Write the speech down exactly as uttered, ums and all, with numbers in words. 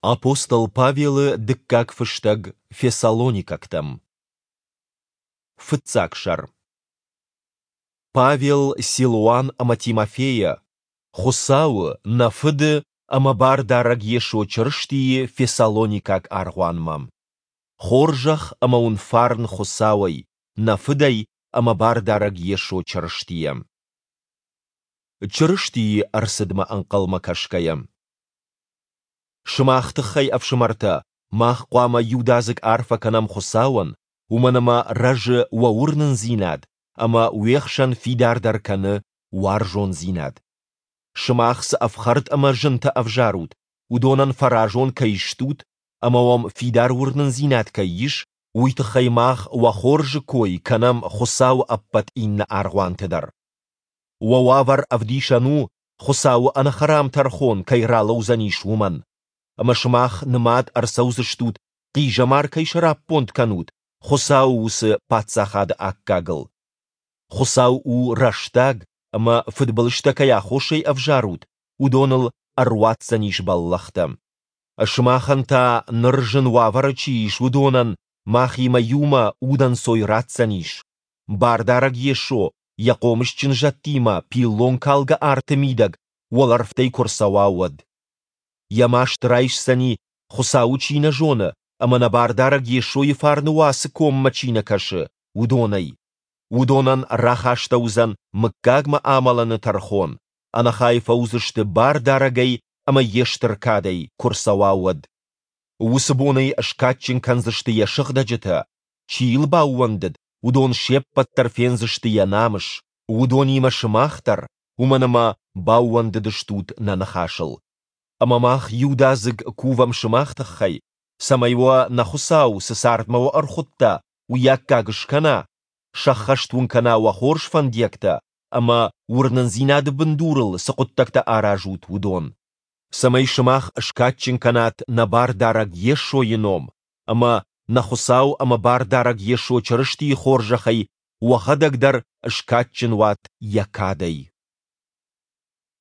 Апостол Павелы дыккаг фыстӕг Фессалоникӕгтӕм. Фыццаг сӕр. Павел, Силуан ӕмӕ Тимофейӕ, Хуыцауы, нӕ Фыды ӕмӕ Бардарӕг Йесо Чырыстийы Фессалоникаг аргъуанмӕ. Хорзӕх ӕмӕ уын фарн Хуыцауӕй, нӕ Фыдӕй ӕмӕ Бардарӕг Йесо Чырыстийӕ. Чырыстийы ӕрцыдмӕ ӕнхъӕлмӕ кӕсгӕйӕ. Сымах тыххӕй, ӕфсымӕртӕ, мах хъуамӕ иудадзыг арфӕ кӕнӕм Хуыцауӕн, уымӕн ӕмӕ рӕзы уӕ уырнындзинад ӕмӕ уе хсӕн фидардӕр кӕны уарзондзинад. Сымах цы ӕфхӕрд ӕмӕ зынтӕ ӕвзарут, уыдонӕн фӕразон кӕй стут ӕмӕ уӕм фидар уырнындзинад кӕй ис, уый тыххӕй мах уӕ хорзы кой кӕнӕм Хуыцауы ӕппӕт иннӕ аргъуанты дӕр. Уӕ уавӕр ӕвдисӕн у, Хуыцауы ӕнӕхӕрам тӕрхон кӕй ралӕудзӕнис, уымӕн. Ӕмӕ сымах нымад ӕрцӕудзыстут, хъизӕмар кӕй сӕраппонд кӕнут, Хуыцауы уыцы Паддзахады аккагыл. Хуыцау у рӕстаг, ӕмӕ фыдбылызтӕ кӕй аххосӕй ӕвзарут, уыдоныл ӕруадздзӕнис бӕллӕхтӕ. Сымахӕн та, ныр зын уавӕры чи ис, уыдонӕн махимӕ иумӕ удӕнцой ратдзӕнис, Бардарӕг Йесо йӕ хъомысджын зӕдтимӕ пиллонкалгӕ арты мидӕг уӕлӕрвтӕй куы рцӕуа, уӕд. Йӕ маст райсдзӕни, Хуыцауы чи нӕ зоны ӕмӕ нӕ Бардарӕг Йесойы фарны уацы коммӕ чи нӕ кӕсы, уыдонӕй. Уыдонӕн рахастӕуыдзӕн мыггагмӕ амӕлыны тӕрхон, ӕнӕхай фӕуыдзысты Бардарӕгӕй ӕмӕ йе стыр кадӕй, куы рцӕуа, уӕд. Уыцы бон ӕй скадджын кӕндзысты йӕ сыгъдӕджытӕ, чи йыл баууӕндыд, уыдон се ппӕт дӕр фендзысты йӕ намыс, уыдонимӕ сымах дӕр, уымӕн ӕмӕ баууӕндыдыстут нӕ ныхасыл. Ӕмӕ мах иудадзыг кувӕм сымах тыххӕй, цӕмӕй уӕ нӕ Хуыцау, цы цардмӕ уӕ ӕрхуыдта, уый аккаг скӕна, сӕххӕст уын кӕна уӕ хорз фӕндиӕгтӕ ӕмӕ, уырнындзинады бындурыл цы хъуыддӕгтӕ аразут, уыдон. Цӕмӕй сымах скадджын кӕнат нӕ Бардарӕг Йесойы ном ӕмӕ нӕ Хуыцау ӕмӕ Бардарӕг Йесо Чырыстийы хорзӕхӕй уӕхӕдӕг дӕр скадджын уат Йӕ кадӕй.